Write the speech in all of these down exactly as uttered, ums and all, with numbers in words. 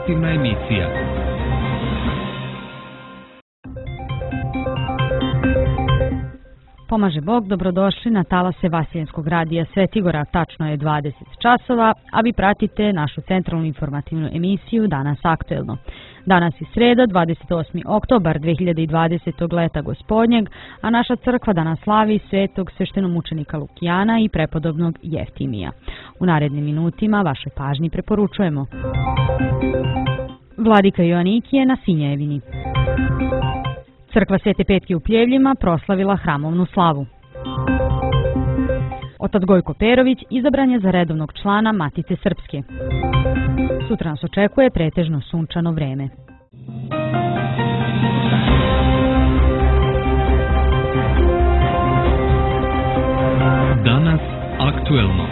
informativna emisija. Pomaže Bog, dobrodošli na talase Vaseljenskog radija Svetigora, tačno je dvadeset časova, a vi pratite našu centralnu informativnu emisiju Danas aktuelno. Danas je sreda, dvadeset osmi oktobar dve hiljade dvadesetog leta gospodnjeg, a naša crkva danas slavi svetog sveštenomučenika Lukijana i prepodobnog Jeftimija. U narednim minutima vašoj pažnji preporučujemo Vladika Joanikije na Sinjevini. Crkva Svete Petke u Pljevljima proslavila hramovnu slavu. Otac Gojko Perović izabran je za redovnog člana Matice Srpske. Sutra nas očekuje pretežno sunčano vreme. Danas aktuelno.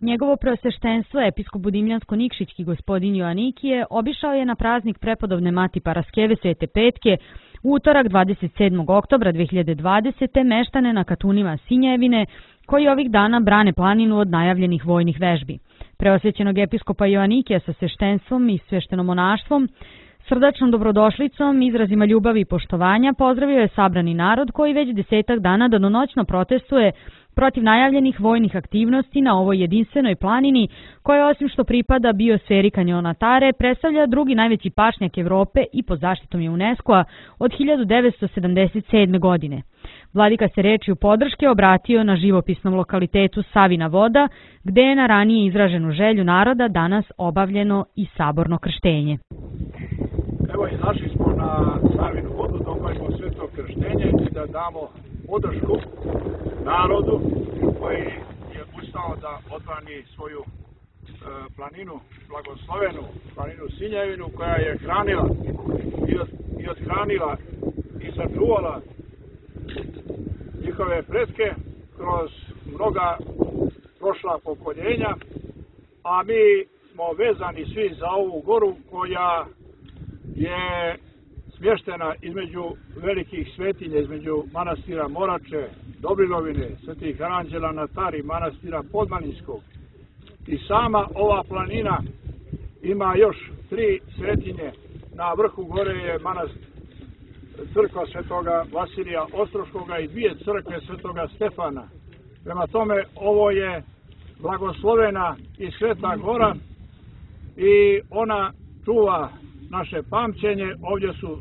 Njegovo preosveštenstvo, episkop Budimljansko-Nikšićki gospodin Joanikije, obišao je na praznik prepodobne Mati Paraskeve Svete Petke u utorak dvadeset sedmog oktobra dve hiljade dvadesete. meštane na katunima Sinjevine, koji ovih dana brane planinu od najavljenih vojnih vežbi. Preosvećenog episkopa Joanikija sa sveštenstvom i sveštenomonaštvom, srdačnom dobrodošlicom, izrazima ljubavi i poštovanja pozdravio je sabrani narod koji već desetak dana danonoćno protestuje protiv najavljenih vojnih aktivnosti na ovoj jedinstvenoj planini, koja osim što pripada biosferi kanjona Tare, predstavlja drugi najveći pašnjak Evrope i pod zaštitom je UNESCO-a od hiljadu devetsto sedamdeset sedme. godine. Vladika se rečju podrške obratio na živopisnom lokalitetu Savina voda, gde je na ranije izraženu želju naroda danas obavljeno i saborno krštenje. Evo, izašli smo na Savinu vodu da obavimo sveto krštenje i da damo podršku narodu koji je ustao da odbrani svoju e, planinu, blagoslovenu planinu Sinjevinu, koja je hranila i, od, i odhranila i sačuvala njihove pretke kroz mnoga prošla pokoljenja, a mi smo vezani svi za ovu goru koja je smještena između velikih svetinja, između manastira Morače, Dobrinovine, Svetih Aranđela na Tari, manastira Podmaninskog. I sama ova planina ima još tri svetinje. Na vrhu gore je manastir crkva Svetoga Vasilija Ostroškoga i dvije crkve Svetoga Stefana. Prema tome, ovo je blagoslovena i sveta gora i ona čuva naše pamćenje. Ovdje su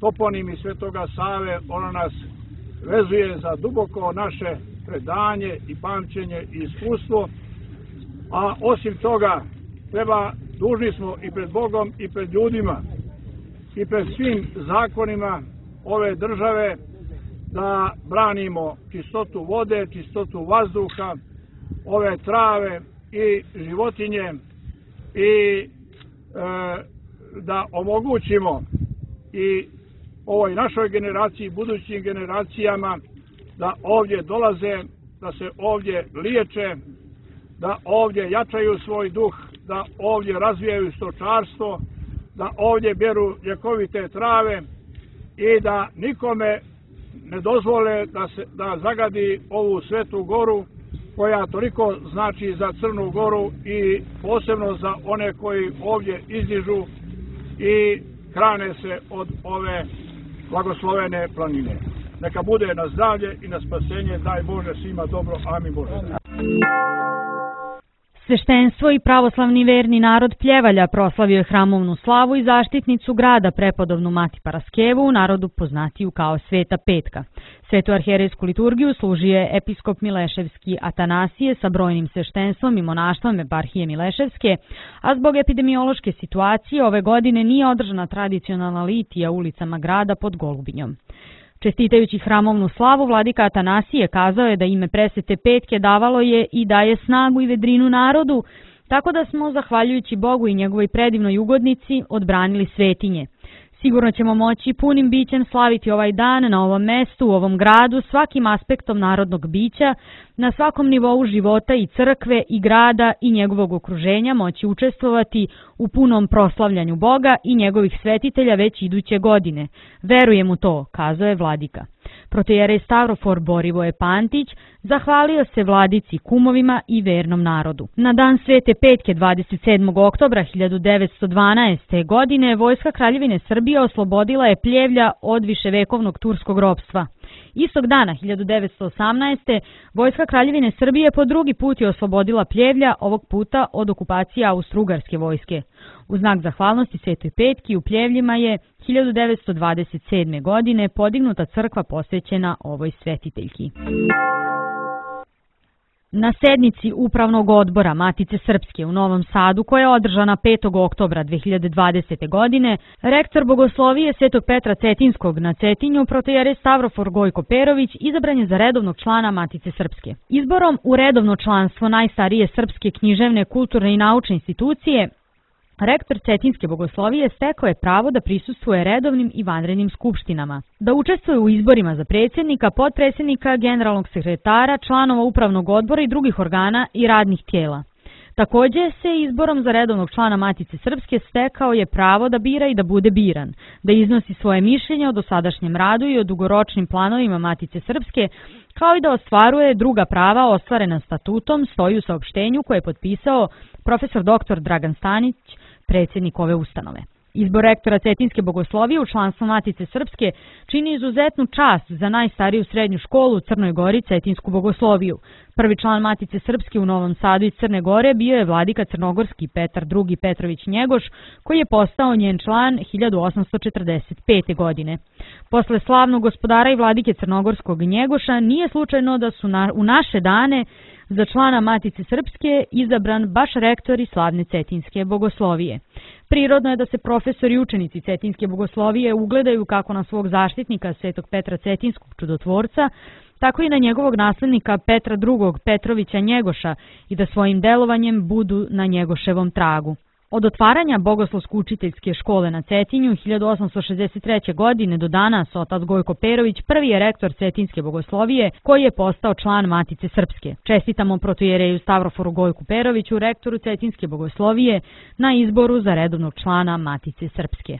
toponimi Svetoga Save, ona nas vezuje za duboko naše predanje i pamćenje i iskustvo, a osim toga treba, dužni smo i pred Bogom i pred ljudima i pred svim zakonima ove države da branimo čistotu vode, čistotu vazduha, ove trave i životinje i e, da omogućimo i ovoj našoj generaciji, budućim generacijama da ovdje dolaze, da se ovdje liječe, da ovdje jačaju svoj duh, da ovdje razvijaju stočarstvo, da ovdje beru ljekovite trave i da nikome ne dozvole da, se, da zagadi ovu svetu goru koja toliko znači za Crnu Goru i posebno za one koji ovdje izdižu i hrane se od ove blagoslovene planine. Neka bude na zdravlje i na spasenje, daj Bože svima dobro, amin Bože. Sveštenstvo i pravoslavni verni narod Pljevalja proslavio je hramovnu slavu i zaštitnicu grada prepodobnu Mati Paraskevu, u narodu poznatiju kao Sveta Petka. Svetu arhijerejsku liturgiju služio je episkop Mileševski Atanasije sa brojnim sveštenstvom i monaštvom eparhije Mileševske, a zbog epidemiološke situacije ove godine nije održana tradicionalna litija ulicama grada pod Golubinjom. Čestitajući hramovnu slavu, vladika Atanasije kazao je da ime presvete Petke davalo je i daje snagu i vedrinu narodu, tako da smo, zahvaljujući Bogu i njegovoj predivnoj ugodnici, odbranili svetinje. Sigurno ćemo moći punim bićem slaviti ovaj dan na ovom mestu, u ovom gradu, svakim aspektom narodnog bića, na svakom nivou života i crkve i grada i njegovog okruženja moći učestvovati u punom proslavljanju Boga i njegovih svetitelja već iduće godine. Verujem u to, kazao je vladika. Protojerej Stavrofor Borivoje Pantić zahvalio se vladici, kumovima i vernom narodu. Na dan Svete Petke dvadeset sedmog oktobra hiljadu devetsto dvanaeste. godine vojska Kraljevine Srbije oslobodila je Pljevlja od viševekovnog turskog ropstva. Istog dana hiljadu devetsto osamnaeste. vojska Kraljevine Srbije po drugi put je oslobodila Pljevlja, ovog puta od okupacije Austro-Ugarske vojske. U znak zahvalnosti Svetoj Petki u Pljevljima je hiljadu devetsto dvadeset sedme. godine podignuta crkva posvećena ovoj svetiteljki. Na sednici Upravnog odbora Matice Srpske u Novom Sadu, koja je održana petog oktobra dve hiljade dvadesete. godine, rektor Bogoslovije Svetog Petra Cetinskog na Cetinju, protojerej Stavrofor Gojko Perović, izabran je za redovnog člana Matice Srpske. Izborom u redovno članstvo najstarije srpske književne, kulturne i naučne institucije, rektor Cetinske Bogoslovije stekao je pravo da prisustvuje redovnim i vanrednim skupštinama, da učestvuje u izborima za predsjednika, potpredsjednika, generalnog sekretara, članova upravnog odbora i drugih organa i radnih tijela. Također se izborom za redovnog člana Matice Srpske stekao je pravo da bira i da bude biran, da iznosi svoje mišljenje o dosadašnjem radu i o dugoročnim planovima Matice Srpske, kao i da ostvaruje druga prava ostvarena statutom, stoji u saopštenju koje je potpisao profesor doktor Dragan Stanić, predsjednik ove ustanove. Izbor rektora Cetinske Bogoslovije u članstvo Matice Srpske čini izuzetnu čast za najstariju srednju školu u Crnoj Gori, Cetinsku Bogosloviju. Prvi član Matice Srpske u Novom Sadu iz Crne Gore bio je vladika crnogorski Petar drugi. Petrović Njegoš, koji je postao njen član hiljadu osamsto četrdeset pete. godine. Posle slavnog gospodara i vladike crnogorskog Njegoša nije slučajno da su na, u naše dane za člana Matice Srpske izabran baš rektor i slavne Cetinske Bogoslovije. Prirodno je da se profesori i učenici Cetinske Bogoslovije ugledaju kako na svog zaštitnika Svetog Petra Cetinskog čudotvorca, tako i na njegovog naslednika Petra drugog. Petrovića Njegoša i da svojim delovanjem budu na Njegoševom tragu. Od otvaranja Bogoslovsko-učiteljske škole na Cetinju hiljadu osamsto šezdeset treće. godine do danas otac Gojko Perović prvi je rektor Cetinske Bogoslovije koji je postao član Matice Srpske. Čestitamo protojereju Stavroforu Gojku Peroviću, rektoru Cetinske Bogoslovije, na izboru za redovnog člana Matice Srpske.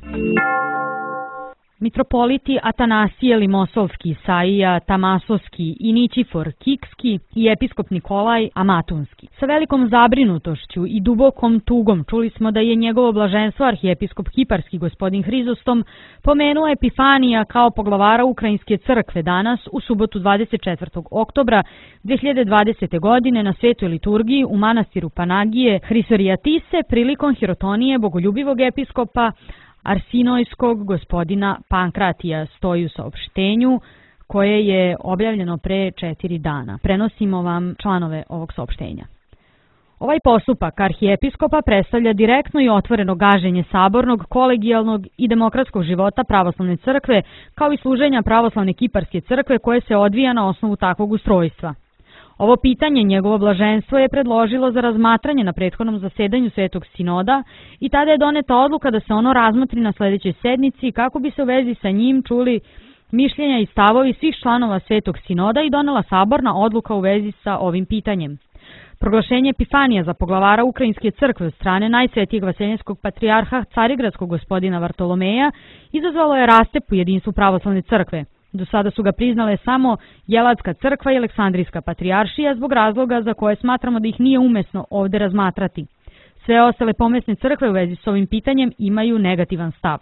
Mitropoliti Atanasije Limosovski, Isaija Tamasovski i Ničifor Kikski i episkop Nikolaj Amatunski. Sa velikom zabrinutošću i dubokom tugom čuli smo da je njegovo blaženstvo arhijepiskop Kiparski gospodin Hrizostom pomenuo Epifanija kao poglavara Ukrajinske crkve danas u subotu dvadeset četvrtog oktobra dve hiljade dvadesete. godine na svetoj liturgiji u manastiru Panagije Hrisorijatise prilikom hirotonije bogoljubivog episkopa Arsinojskog gospodina Pankratija, stoji u saopštenju koje je objavljeno pre četiri dana. Prenosimo vam članove ovog saopštenja. Ovaj postupak arhijepiskopa predstavlja direktno i otvoreno gaženje sabornog, kolegijalnog i demokratskog života pravoslavne crkve, kao i služenja pravoslavne Kiparske crkve koje se odvija na osnovu takvog ustrojstva. Ovo pitanje njegovo blaženstvo je predložilo za razmatranje na prethodnom zasedanju Svetog sinoda i tada je doneta odluka da se ono razmotri na sljedećoj sednici kako bi se u vezi sa njim čuli mišljenja i stavovi svih članova Svetog sinoda i donela saborna odluka u vezi sa ovim pitanjem. Proglašenje Epifanija za poglavara Ukrajinske crkve od strane najsvetijeg vaseljenskog patrijarha Carigradskog gospodina Vartolomeja izazvalo je rastep u jedinstvu pravoslavne crkve. Do sada su ga priznale samo Jeladska crkva i Aleksandrijska patrijaršija zbog razloga za koje smatramo da ih nije umesno ovdje razmatrati. Sve ostale pomesne crkve u vezi s ovim pitanjem imaju negativan stav.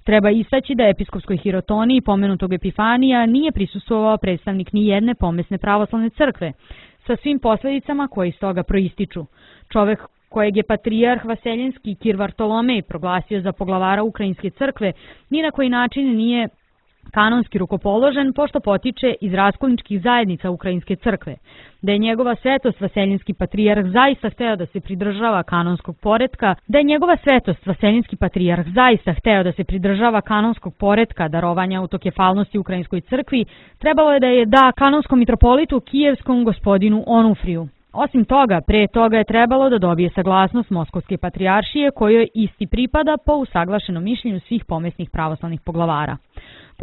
Treba istaći da episkopskoj hirotoniji pomenutog Epifanija nije prisustvovao predstavnik ni jedne pomesne pravoslavne crkve, sa svim posljedicama koje iz toga proističu. Čovek kojeg je patrijarh vaseljenski Kir Vartolomej proglasio za poglavara Ukrajinske crkve ni na koji način nije kanonski rukopoložen, pošto potiče iz raskolničkih zajednica Ukrajinske crkve. Da je njegova svetost vaseljenski patrijarh zaista hteo da se pridržava kanonskog poretka, da je njegova svetost vaseljenski patrijarh zaista hteo da se pridržava kanonskog poretka darovanja autokefalnosti Ukrajinskoj crkvi, trebalo je da je da kanonskom mitropolitu kijevskom gospodinu Onufriju. Osim toga, pre toga je trebalo da dobije saglasnost Moskovske patrijaršije kojoj isti pripada po usaglašenom mišljenju svih pomesnih pravoslavnih poglavara.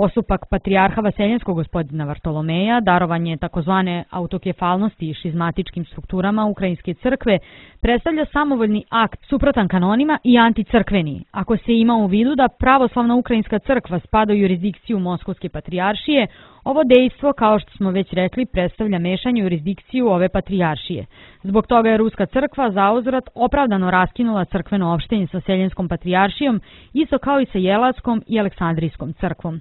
Postupak patrijarha Vaseljenskog gospodina Vartolomeja, darovanje takozvane autokefalnosti i šizmatičkim strukturama Ukrajinske crkve, predstavlja samovoljni akt suprotan kanonima i anticrkveni, ako se ima u vidu da pravoslavna Ukrajinska crkva spada u jurisdikciju Moskovske patrijaršije. Ovo dejstvo, kao što smo već rekli, predstavlja mešanje u jurisdikciju ove patrijaršije. Zbog toga je Ruska crkva zauzvrat opravdano raskinula crkveno opštenje sa Seljenskom patrijaršijom, isto kao i sa Jelatskom i Aleksandrijskom crkvom.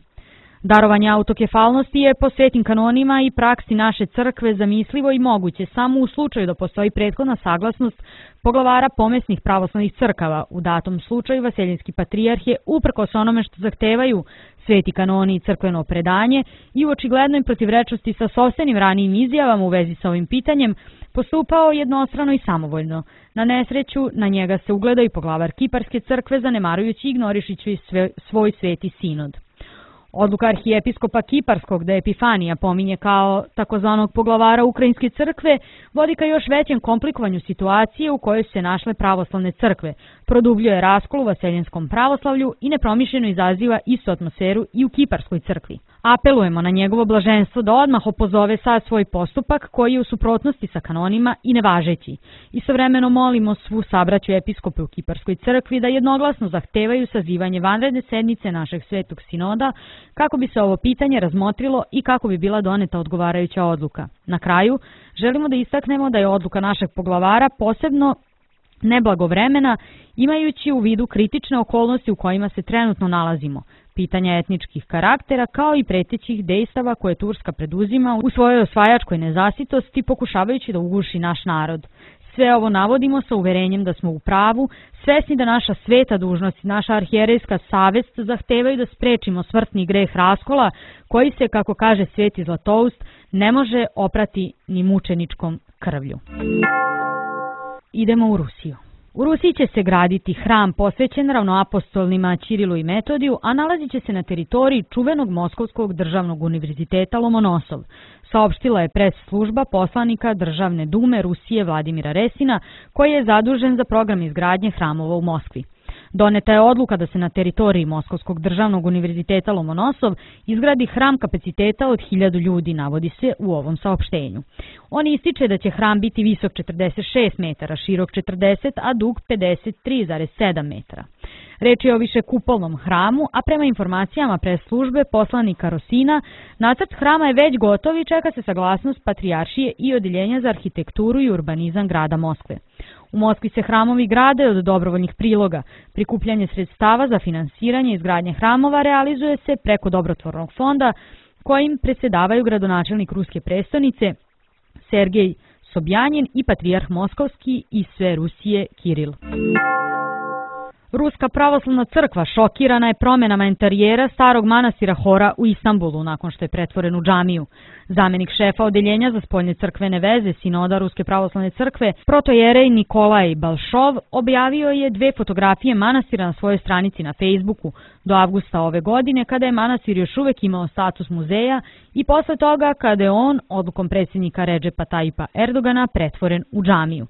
Darovanje autokefalnosti je po svetim kanonima i praksi naše crkve zamislivo i moguće samo u slučaju da postoji prethodna saglasnost poglavara pomesnih pravoslavnih crkava. U datom slučaju Vaseljenski patrijarh je, uprkos onome što zahtevaju sveti kanoni i crkveno predanje i u očiglednoj protivrečnosti sa sopstvenim ranijim izjavama u vezi sa ovim pitanjem, postupao jednostrano i samovoljno. Na nesreću na njega se ugleda i poglavar Kiparske crkve, zanemarujući i ignorišići svoj sveti sinod. Odluka arhijepiskopa Kiparskog da Epifanija pominje kao takozvanog poglavara Ukrajinske crkve vodi ka još većem komplikovanju situacije u kojoj su se našle pravoslavne crkve, produbljuje raskol u vaseljenskom pravoslavlju i nepromišljeno izaziva istu atmosferu i u Kiparskoj crkvi. Apelujemo na njegovo blaženstvo da odmah opozove sad svoj postupak koji je u suprotnosti sa kanonima i nevažeći. Istovremeno molimo svu sabraću episkope u Kiparskoj crkvi da jednoglasno zahtevaju sazivanje vanredne sednice našeg svetog sinoda kako bi se ovo pitanje razmotrilo i kako bi bila doneta odgovarajuća odluka. Na kraju, želimo da istaknemo da je odluka našeg poglavara posebno neblagovremena, imajući u vidu kritične okolnosti u kojima se trenutno nalazimo, pitanja etničkih karaktera kao i pretećih dejstava koje Turska preduzima u svojoj osvajačkoj nezasitosti pokušavajući da uguši naš narod. Sve ovo navodimo sa uverenjem da smo u pravu, svesni da naša sveta dužnost i naša arhijerejska savest zahtevaju da sprečimo smrtni greh raskola koji se, kako kaže sveti Zlatoust, ne može oprati ni mučeničkom krvlju. Idemo u Rusiju. U Rusiji će se graditi hram posvećen ravnoapostolnima Ćirilu i Metodiju, a nalazit će se na teritoriji čuvenog Moskovskog državnog univerziteta Lomonosov, saopštila je pres služba poslanika Državne dume Rusije Vladimira Resina, koji je zadužen za program izgradnje hramova u Moskvi. Doneta je odluka da se na teritoriji Moskovskog državnog univerziteta Lomonosov izgradi hram kapaciteta od hiljadu ljudi, navodi se u ovom saopštenju. On ističe da će hram biti visok četrdeset šest metara, širok četrdeset, a dug pedeset tri zarez sedam metara. Reč je o višekupolnom hramu, a prema informacijama pres službe poslanika Rosina, nacrt hrama je već gotov i čeka se saglasnost Patrijaršije i Odeljenja za arhitekturu i urbanizam grada Moskve. U Moskvi se hramovi grade od dobrovoljnih priloga. Prikupljanje sredstava za finansiranje izgradnje hramova realizuje se preko dobrotvornog fonda kojim predsjedavaju gradonačelnik Ruske prestonice Sergej Sobjanin i patrijarh Moskovski i sve Rusije Kiril. Ruska pravoslavna crkva šokirana je promjenama interijera starog manastira Hora u Istanbulu nakon što je pretvoren u džamiju. Zamenik šefa odeljenja za spoljne crkvene veze Sinoda Ruske pravoslavne crkve, protojerej Nikolaj Balšov, objavio je dve fotografije manastira na svojoj stranici na Facebooku do avgusta ove godine, kada je manastir još uvek imao status muzeja i posle toga kada je on, odlukom predsjednika Redžepa Tajipa Erdogana, pretvoren u džamiju.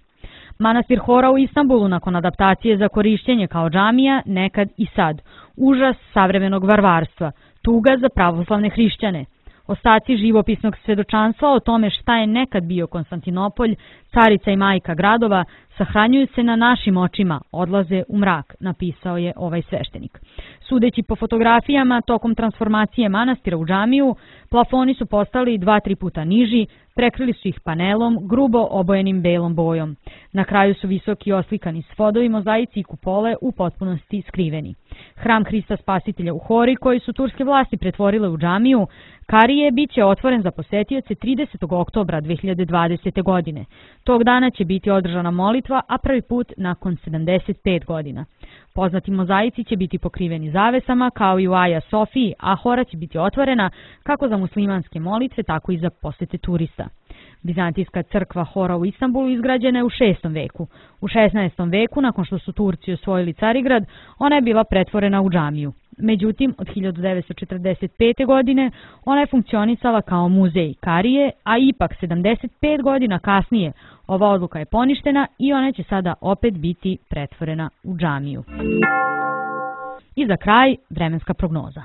Manastir Hora u Istanbulu nakon adaptacije za korišćenje kao džamija nekad i sad. Užas savremenog varvarstva, tuga za pravoslavne hrišćane. Ostaci živopisnog svedočanstva o tome šta je nekad bio Konstantinopolj, carica i majka gradova, sahranjuju se na našim očima, odlaze u mrak, napisao je ovaj sveštenik. Sudeći po fotografijama, tokom transformacije manastira u džamiju, plafoni su postali dva, tri puta niži, prekrili su ih panelom, grubo obojenim belom bojom. Na kraju su visoki oslikani svodovi, mozaici i kupole u potpunosti skriveni. Hram Hrista Spasitelja u Hori, koji su turske vlasti pretvorile u džamiju, Karije, bit će otvoren za posetioce tridesetog oktobra dve hiljade dvadesete. godine. Tog dana će biti održana molitva, a prvi put nakon sedamdeset pet godina. Poznati mozaici će biti pokriveni zavesama, kao i u Aja Sofiji, a Hora će biti otvorena kako za muslimanske molitve, tako i za posete turista. Bizantijska crkva Hora u Istanbulu izgrađena je u šestom veku. U šesnaestom veku, nakon što su Turci osvojili Carigrad, ona je bila pretvorena u džamiju. Međutim, od hiljadu devetsto četrdeset pete. godine ona je funkcionisala kao muzej Karije, a ipak sedamdeset pet godina kasnije ova odluka je poništena i ona će sada opet biti pretvorena u džamiju. I za kraj, vremenska prognoza.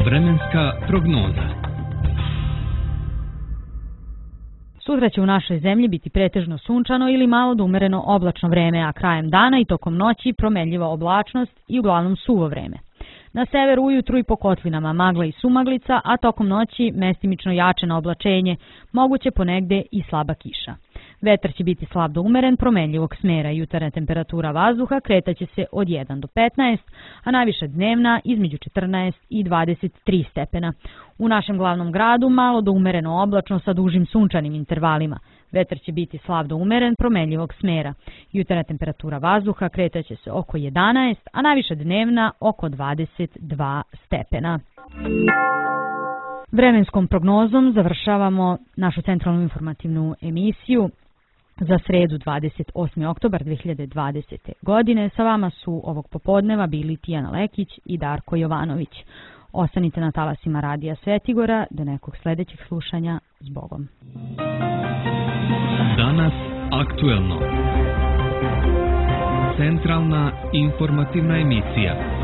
Vremenska prognoza. Sutra će u našoj zemlji biti pretežno sunčano ili malo do umereno oblačno vreme, a krajem dana i tokom noći promenljiva oblačnost i uglavnom suvo vreme. Na severu ujutru i po kotlinama magla i sumaglica, a tokom noći mestimično jačeno oblačenje, moguće ponegde i slaba kiša. Vetar će biti slab do umeren, promenljivog smera. Jutarnja temperatura vazduha kretaće se od jedan do petnaest, a najviša dnevna između četrnaest i dvadeset tri stepena. U našem glavnom gradu malo do umereno oblačno sa dužim sunčanim intervalima. Vetar će biti slab do umeren, promenljivog smera. Jutarnja temperatura vazduha kretaće se oko jedanaest, a najviša dnevna oko dvadeset dva stepena. Vremenskom prognozom završavamo našu centralnu informativnu emisiju za sredu dvadeset osmi oktobar dve hiljade dvadesete. godine. Sa vama su ovog popodneva bili Tijana Lekić i Darko Jovanović. Ostanite na talasima Radija Svetigora do nekog sledećeg slušanja. Zbogom. Danas aktuelno. Centralna informativna emisija.